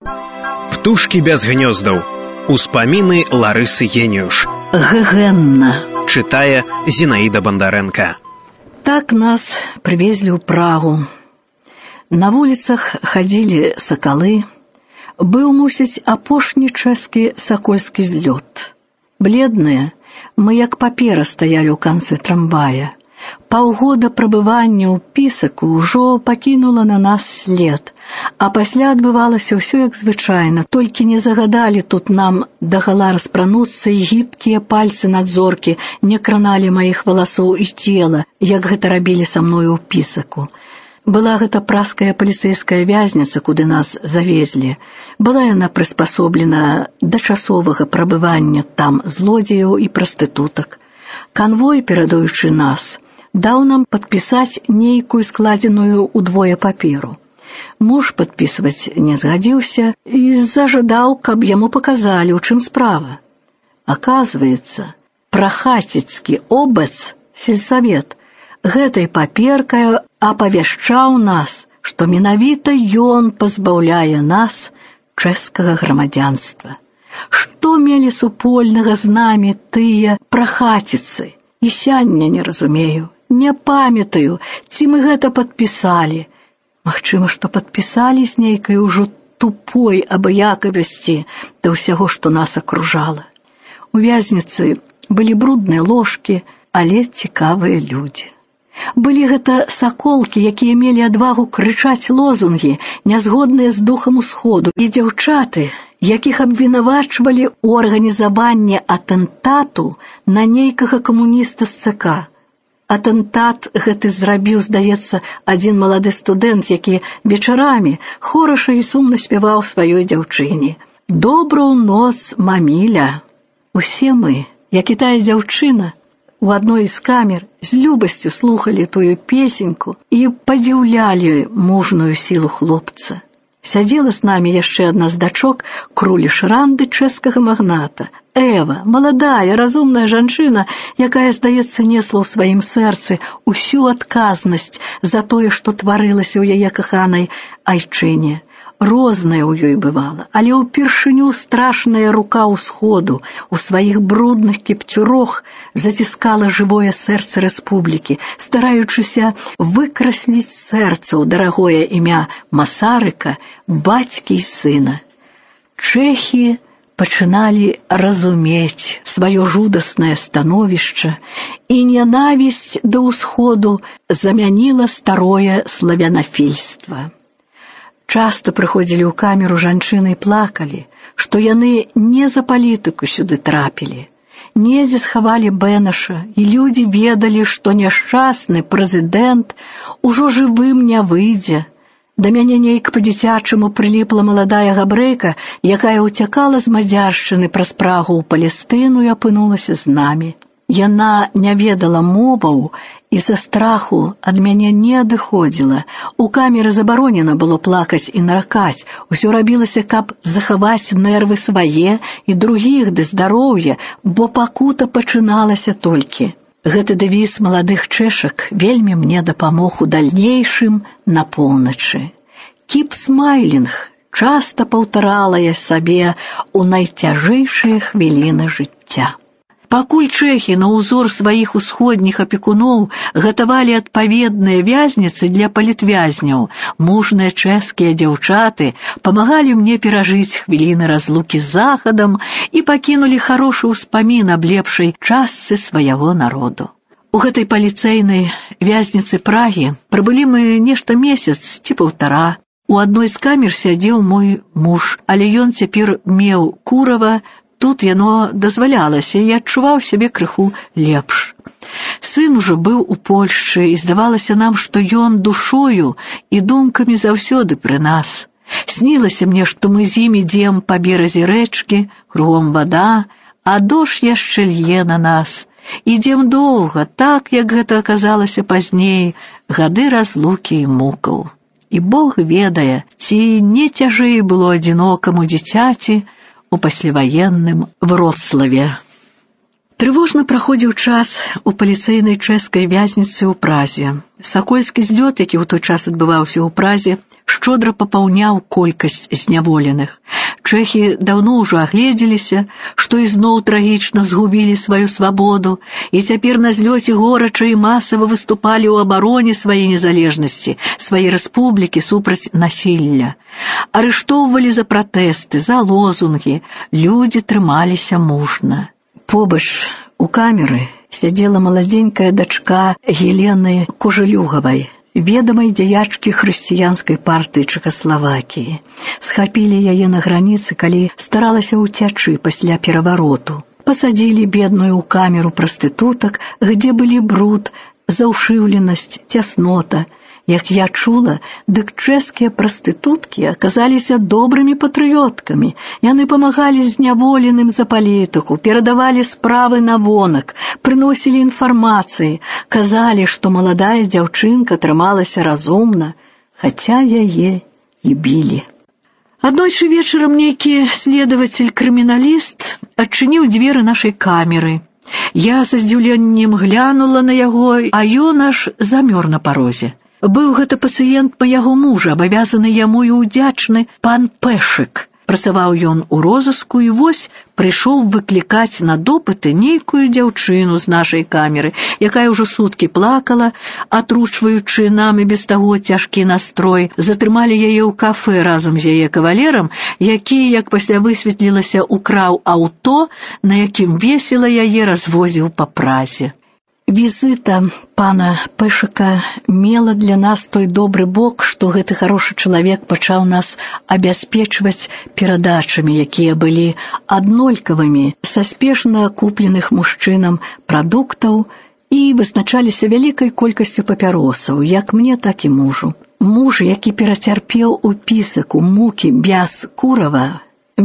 Птушкі без гнёздаў. Успаміны Ларысы Геніюш. Гэгэнна. Чытае Зінаіда Бандарэнка. Так нас прывезлі ў Прагу. На вуліцах хадзілі сакалы. Быў, мусіць, апошні чэшскі сакольскі злёт. Бледныя, мы як папера стаялі ў канцы трамвая. Паўгода прабывання ў Пісаку ўжо пакінула на нас след, а пасля адбывалася ўсё як звычайна, толькі не загадалі тут нам дагала распрануцца і гідкія пальцы надзоркі не краналі маіх валасоў і цела, як гэта рабілі са мною ў Пісаку. Была гэта пражская паліцэйская вязніца, куды нас завезлі. Была яна прыспасоблена да часовага прабывання там злодзеяў і прастытутак. Канвой, перадаючы нас, даў нам падпісаць нейкую складзеную ўдвое паперу. Муж падпісваць не згадзіўся і зажадаў, каб яму паказалі, у чым справа. Аказваецца, прахацецкі обац, сельсавет, гэтай паперкай апавяшчаў нас, што менавіта ён пазбаўляе нас чэшскага грамадзянства. Што мелі супольнага з намі тыя прахаціцы? І сяння не разумею, не памятаю, ці мы гэта падпісалі. Магчыма, што падпісалі з нейкай ужо тупой абыякавасці да ўсяго, што нас акружала. У вязніцы былі брудныя ложкі, але цікавыя людзі. Былі гэта саколкі, якія мелі адвагу крычаць лозунгі, нязгодныя з духам усходу, і дзяўчаты, якіх абвінавачвалі ў арганізаванні атэntату на нейкага камуніста з ЦК. Атэntат гэты зрабіў, здаецца, адзін малады студэнт, які вечарамі хораша і сумна спяваў сваёй дзяўчыне. «Добрую ноц, маміля». Усе мы, як і тая дзяўчына, у адной з камер з любасцю слухалі тую песеньку і падзіўлялі мужную сілу хлопца. Сядзела з намі яшчэ адна з дачок крулі шранды чэшскага магната. Эва, маладая, разумная жанчына, якая, здаецца, несла ў сваім сэрцы усю адказнасць за тое, што тварылася ў яе каханай айчыне. Рознае ў ёй бывала, але ўпершыню страшная рука ўсходу у сваіх брудных кіпцюрох заціскала жывое сэрца рэспублікі, стараючыся выкрасліць сэрца ў дарагое імя Масарыка, бацькі і сына. Чэхі пачыналі разумець сваё жудаснае становішча, і нянавісць да ўсходу замяніла старое славянафільства. Часта прыходзілі ў камеру жанчыны і плакалі, што яны не за палітыку сюды трапілі. Недзе схавалі Бэнаша, і людзі ведалі, што няшчасны прэзідэнт ужо жывым не выйдзе. Да мяне нейк па-дзіцячаму прыліпла маладая габрэйка, якая ўцякала з Мадзяршчыны праз Прагу ў Палестыну і апынулася з намі. Яна не ведала моваў і за страху ад мяне не адыходзіла. У камеры забаронена было плакаць і наракаць. Усё рабілася, каб захаваць нервы свае і другіх ды здароўе, бо пакута пачыналася толькі. Гэты дэвіз маладых чэшак вельмі мне дапамог у дальнейшым на поўначы. «Keep smiling» часта паўтарала я сабе ў найцяжэйшыя хвіліны жыцця. Пакуль чэхі на ўзор сваіх усходніх апекуноў гатавалі адпаведныя вязніцы для палітвязняў, мужныя чэшскія дзяўчаты памагалі мне перажыць хвіліны разлукі з захадам і пакінулі харошы ўспамін аб лепшай частцы свайго народу. У гэтай паліцэйнай вязніцы Прагі прабылі мы нешта месяц ці паўтара. У адной з камер сядзеў мой муж, але ён цяпер меў курава. Тут яно дазвалялася, і адчуваў сябе крыху лепш. Сын ужо быў у Польшчы, і здавалася нам, што ён душою і думкамі заўсёды пры нас. Снілася мне, што мы з ім ідзем па беразе рэчкі, кругом вада, а дождж яшчэ лье на нас. Ідзем доўга, так, як гэта аказалася пазней, гады разлукі і мукаў. І Бог ведае, ці не цяжэй было адзінокаму дзіцяці у пасляваенным Вроцлаве. Трывожна праходзіў час у паліцэйнай чэшскай вязніцы ў Празе. Сакольскі злёт, які ў той час адбываўся ў Празе, шчодра папаўняў колькасць зняволеных. Чэхі даўно ўжо агледзеліся, што ізноў трагічна згубілі сваю свабоду, і цяпер на злёце горача і масава выступалі ў абароне сваёй незалежнасці, сваёй рэспублікі супраць насілля. Арыштоўвалі за пратэсты, за лозунгі, людзі трымаліся мужна. Побач у камеры сядзела маладзенькая дачка Елены Кужэлюгавай, ведамай дзеячкі хрысціянскай партыі Чэхаславакіі. Схапілі яе на граніцы, калі старалася ўцячы пасля перавароту. Пасадзілі бедную ў камеру прастытутак, где былі бруд, заўшыўленасць, цяснота. Як я чула, дык чэшскія прастытуткі аказаліся добрымі патрыёткамі. Яны памагалі зняволеным за палітыку, перадавалі справы на вонак, прыносілі інфармацыі, казалі, што маладая дзяўчынка трымалася разумна, хаця яе і білі. Аднойчы вечарам нейкі следавацель-крыміналіст адчыніў дзверы нашай камеры. Я са здзіўленнем глянула на яго, а ён аж замёр на парозе. Быў гэта пацыент майго мужа, абавязаны яму і ўдзячны пан Пэшык. Працаваў ён у розыску і вось прыйшоў выклікаць на допыты нейкую дзяўчыну з нашай камеры, якая ўжо суткі плакала, атручваючы нам і без таго цяжкі настрой. Затрымалі яе ў кафэ разам з яе кавалерам, які, як пасля высветлілася, украў аўто, на якім весела яе развозіў па Празе. Візіта пана Пэшыка мела для нас той добры бок, што гэты харошы чалавек пачаў нас абяспечваць перадачамі, якія былі аднолькавымі са спешна купленых мужчынам прадуктаў і вызначаліся вялікай колькасцю папяросаў, як мне, так і мужу. Муж, які перацярпеў упісак у мукі без курава,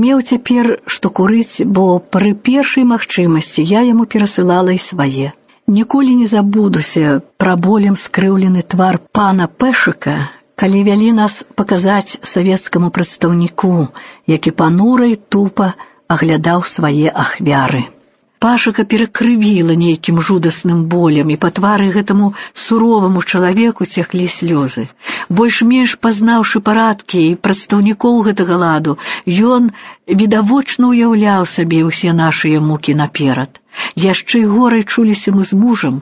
меў цяпер што курыць, бо пры першай магчымасці я яму перасылала і свае. Ніколі не забудуся пра болем скрыўлены твар пана Пэшыка, калі вялі нас паказаць савецкаму прадстаўніку, які панура і тупа аглядаў свае ахвяры. Пашыка перакрывіла нейкім жудасным болем, і па твары гэтаму суроваму чалавеку цеклі слёзы. Больш-менш пазнаўшы парадкі і прадстаўнікоў гэтага ладу, ён відавочна ўяўляў сабе ўсе нашыя мукі наперад. Яшчэ і горай чуліся мы з мужам.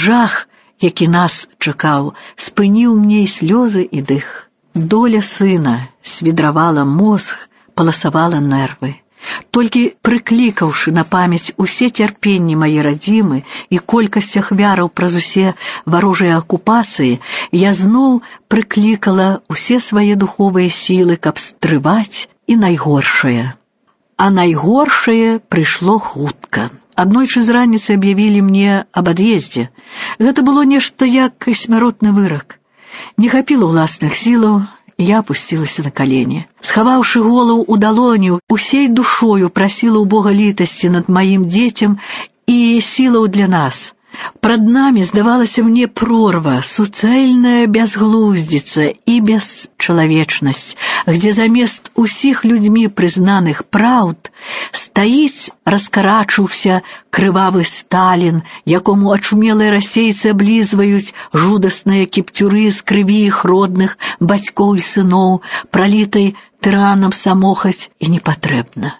Жах, які нас чакаў, спыніў мне і слёзы, і дых. Доля сына свідравала мозг, паласавала нервы. Толькі прыклікаўшы на памяць усе цярпенні мае радзімы і колькасць ахвяраў праз усе варожыя акупацыі, я зноў прыклікала усе свае духовыя сілы, каб стрываць і найгоршае. А найгоршае прыйшло хутка. Аднойчы з раніцы аб'явілі мне аб ад'ездзе. Гэта было нешта як смяротны вырак. Не хапіла ўласных сілаў, я апусцілася на калені. Схаваўшы голову ў далоню, усей душою прасіла ў Бога літасці над маім дзецям і сілаў для нас. Прад намі здавалася мне прорва, суцэльная бязглуздзіца і бесчалавечнасць, где замест усіх людзьмі прызнаных праўд стаіць раскарачыўся крывавы Сталін, якому ачумелыя расейцы аблізваюць жудасныя кіпцюры з крыві іх родных бацькоў і сыноў, пралітай тыранам самохаць і непатрэбна.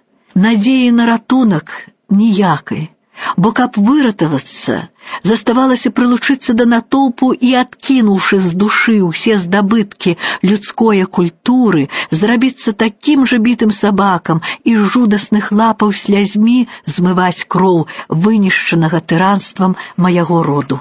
Надзеі на ратунак ніякай. Бо каб выратавацца, заставалася прылучыцца да натоўпу і, адкінуўшы з душы ўсе здабыткі людское культуры, зрабіцца такім жа бітым сабакам і жудасных лапаў слязьмі змываць кроў вынішчанага тыранствам майго роду.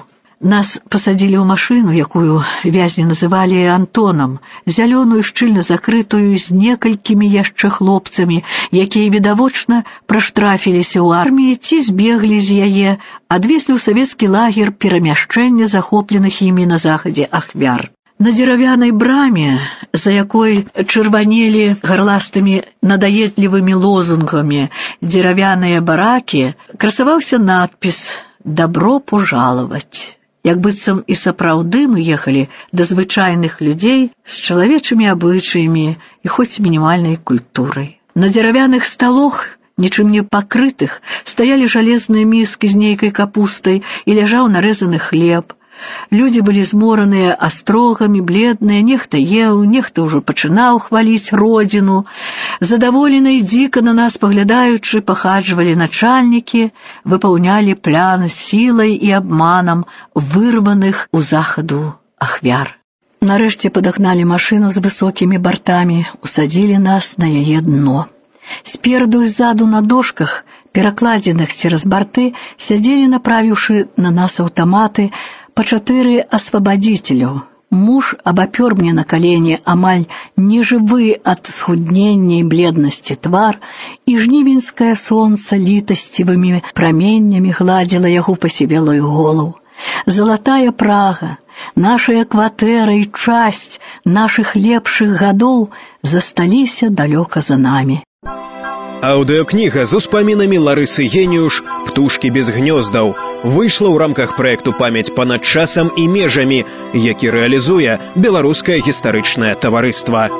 Нас пасадзілі ў машыну, якую вязні называлі Антонам, зялёную, шчыльна закрытую, з некалькімі яшчэ хлопцамі, якія відавочна праштрафіліся ў арміі ці збеглі з яе, адвезлі ў савецкі лагер перамяшчэння захопленых імі на захадзе ахвяр. На дзеравянай браме, за якой чырванелі гарластымі надаедлівымі лозунгамі дзеравяныя баракі, красаваўся надпіс «Добро пожаловать». Як быццам і сапраўды мы ехалі да звычайных людзей з чалавечымі абычаямі і хоць мінімальнай культурай. На дзеравяных сталох нічым не пакрытых, стаялі жалезныя міскі з нейкай капустай і ляжаў нарэзаны хлеб. Людзі былі змораныя астрогамі, бледныя, нехта еў, нехта ўжо пачынаў хваліць родзіну. Задаволена і дзіка на нас паглядаючы, пахаджвалі начальнікі, выпаўнялі план сілай і абманам вырваных у захаду ахвяр. Нарэшце падагналі машыну з высокімі бартамі, усадзілі нас на яе дно. Спераду і ззаду на дошках, перакладзеных цераз барты, сядзелі, направіўшы на нас аўтаматы, па 4 асвабадзіцеляў. Муж абапёр мне на калені амаль нежывы ад схуднення і бледнасці твар, і жнівеньскае сонца літасцівымі праменнямі гладзіла яго пасівелую голову. Залатая Прага, нашая кватэра і часць нашых лепшых гадоў засталіся далёка за намі. Аўдыёкніга з успамінамі Ларысы Геніюш «Птушкі без гнёздаў» выйшла ў рамках праекту «Памяць панад часам і межамі», які рэалізуе Беларускае гістарычнае таварыства.